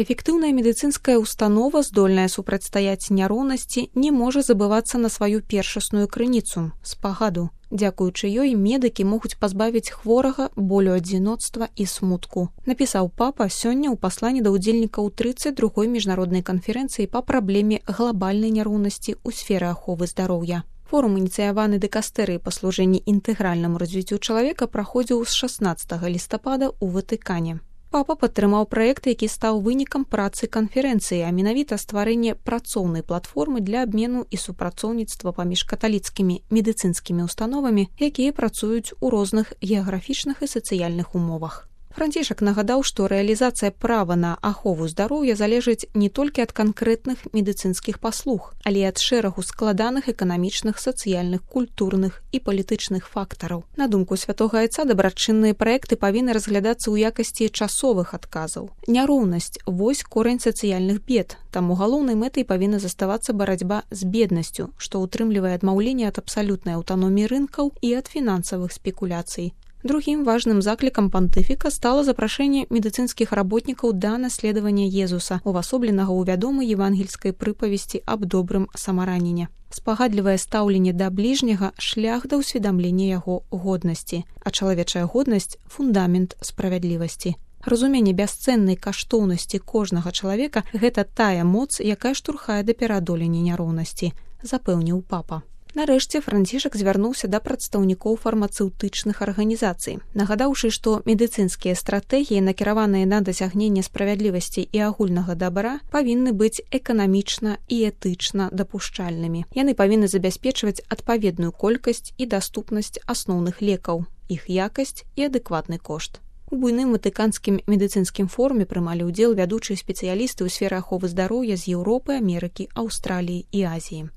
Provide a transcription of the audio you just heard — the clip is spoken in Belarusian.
Эфектыўная медыцынская установа, здольная супрацьстаяць няроўнасці, не можа забывацца на сваю першасную крыніцу – спагаду. Дзякуючы ёй медыкі могуць пазбавіць хворага болю адзіноцтва і смутку. Напісаў папа сёння ў пасланні да ўдзельнікаў 32-й міжнароднай канферэнцыі па праблеме глабальнай няроўнасці ў сферы аховы здароўя. Форум, ініцыяваны дыкастэрыяй па служэнні інтэгральнаму развіццю чалавека, праходзіў з 16 лістапада ў Ватыкане. Папа падтрымаў праект, які стаў вынікам працы канферэнцыі, а менавіта стварэнне працоўнай платформы для абмену і супрацоўніцтва паміж каталіцкімі медыцынскімі установамі, якія працуюць у розных геаграфічных і сацыяльных умовах. Францішак нагадаў, што рэалізацыя права на ахову здароўя залежыць не толькі ад канкрэтных медыцынскіх паслуг, але і ад шэрагу складаных эканамічных, сацыяльных, культурных і палітычных фактараў. На думку святога айца, дабрачынныя праекты павінны разглядацца ў якасці часовых адказаў. Няроўнасць – вось корань сацыяльных бед, таму галоўнай мэтай павінна заставацца барацьба з беднасцю, што ўтрымлівае адмаўленне ад абсалютнай аўтаноміі рынкаў і ад фінансавых спекуляцый. Другім важным заклікам пантыфіка стала запрашэнне медыцынскіх работнікаў да наследавання Езуса, увасобленага ў вядомай евангельскай прыпавесці аб добрым самараніне. Спагадлівае стаўленне да бліжняга – шлях да ўсведамлення яго годнасці, а чалавечая годнасць – фундамент справядлівасці. Разуменне бясцэннай каштоўнасці кожнага чалавека – гэта тая моц, якая штурхае да пераадолення няроўнасці, запэўніў папа. Нарэшце Францішак звярнуўся да прадстаўнікоў фармацэўтычных арганізацый, нагадаўшы, што медыцынскія стратэгіі, накіраваныя на дасягненне справядлівасці і агульнага дабра, павінны быць эканамічна і этычна дапушчальнымі. Яны павінны забяспечваць адпаведную колькасць і даступнасць асноўных лекаў, іх якасць і адэкватны кошт. У буйным ватыканскім медыцынскім форуме прымалі ўдзел вядучыя спецыялісты ў сферы аховы здароўя з Еўропы, Амерыкі, Аўстраліі і Азіі.